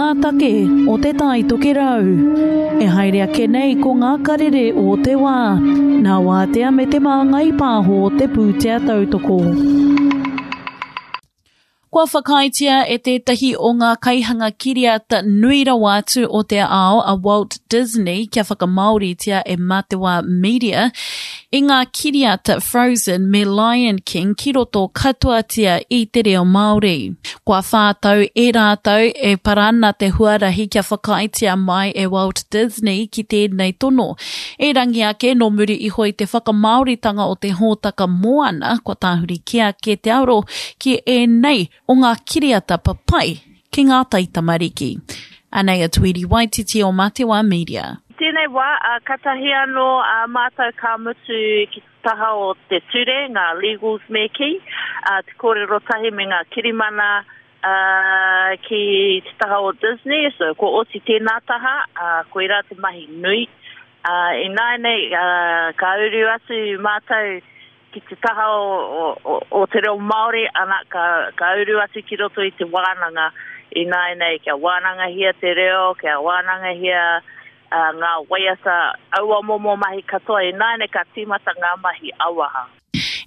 ngā take o Te Tai Tokerau. E haere ake nei ko ngā karere o te wā, nā Wātea me Te Māngai Pāho te pūtea tautoko. Kua whakaaetia e tētahi o ngā kaihanga kiriata nui rawa atu o te ao a Walt Disney kia whakamāoritia e Matewa Media i ngā kiriata Frozen me Lion King ki roto katoatia i te reo Māori. Kua whā tau e rātou e para ana te huarahi kia whakaaetia mai e Walt Disney ki tēnei tono. Erangi ake, nō muri iho i te whakamāoritanga o te hōtaka Moana, kua tāhuri kē ake te aro ki ēnei o ngā kiriata papai ki ngā taitamariki. Anei a Tweedy Waititi o Matewa Media. I tēnei wā, katahi anō mātou ka mutu ki te taha o te ture, ngā legals me kī, te kōrero tahi me ngā kirimana ki te taha o Disney, so kua oti tēnā taha, koirā te mahi nui. Ināianei, ka uru atu mātou ki te taha o te reo Māori, ana, ka, ka uru atu ki roto i te wānanga ināianei, kia wānangahia te reo, kia wānangahia uh, ngā waiata, aua momo mahi katoa, ināianei ka tīmata ngā mahi auaha.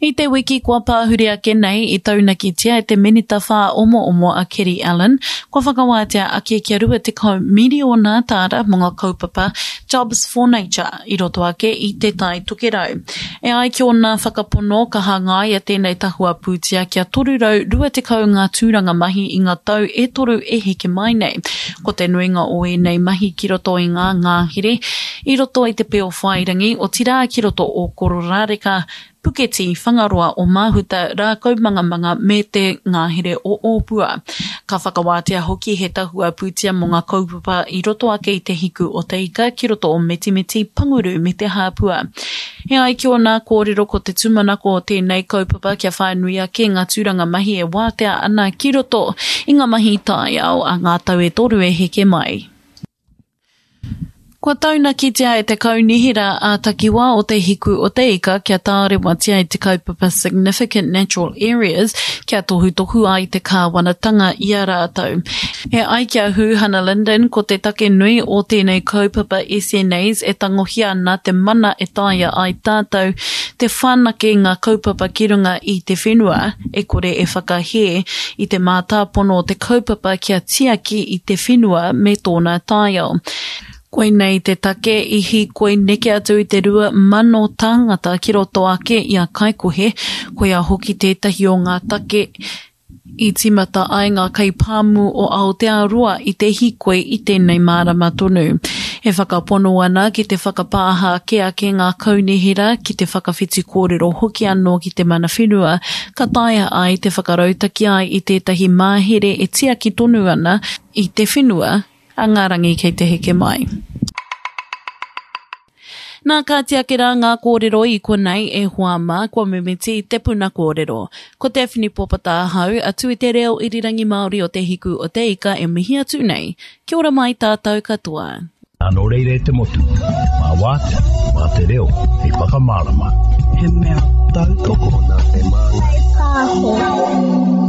I te wiki kua pāhuri ake nei i taunakitia e te Minita Whāomoomo a Keri Allen, kua whakawātea ake kia 20 miriona tāra mō ngā kaupapa Jobs for Nature i roto ake i Te Tai Tokerau. E ai ki ōna whakapono, ka hangaia tēnei tahua pūtea kia 320 ngā tūranga mahi i ngā tau e toru e heke mai nei. Ko te nuinga o ēnei mahi ki roto i ngā ngahere, i roto i te Peowhairangi, otirā ki roto o Kororāreka, Puketī, Whangaroa o Māhuta, Rākaumangamanga me te ngahere o Ōpua. Ka whakawātea hoki he tahua pūtea mō ngā kaupapa i roto ake i te Hiku o Te Ika ki roto o Metimeti, Panguru me Te Hāpua. E ai ki ōna kōrero ko te tūmanako o tēnei kaupapa kia whānui ake ngā tūranga mahi e wātea ana ki roto i ngā mahi taiao a ngā tau e toru e heke mai. Kua taunakitia e te Kaunihera ā-Takiwā o Te Hiku o Te Ika kia tārewatia i te kaupapa Significant Natural Areas kia tohutohu ai te kāwanatanga i a rātou. E ai ki a Huhana Lyndon, ko te take nui o tēnei kaupapa SNAs e tangohia ana te mana e taea ai tātou te whanake ngā kaupapa ki runga i te whenua, e kore e whakahē i te mātāpono o te kaupapa kia tiaki i te whenua me tōna taiao. Koinei te take i hīkoi neke atu i te 2,000 tāngata ki roto ake i a Kaikohe, koia hoki tētahi o ngā take i tīmata ai ngā kaipāmu o Aotearoa i te hīkoi i tēnei marama tonu. E whakapono ana ki te whakapāha ake ake ngā kaunihera, ki te whakawhiti kōrero hoki anō ki te mana whenua, ka taea ai te whakarautaki ai i tētahi mahere e tiaki tonu ana i te whenua a ngā rangi kei te heke mai. Nā, kāti ake rā ngā kōrero i konei e hoa mā, kua mimiti te puna kōrero. Ko Daphne Popata ahau, atu i te reo irirangi Māori o Te Hiku o Te Ika e mihi atu nei. Kia ora mai tātou katoa. Nō reira e te motu, mā Wātea, mā te reo hei whakamārama. He mea tautoko nā te Māngai Pāho.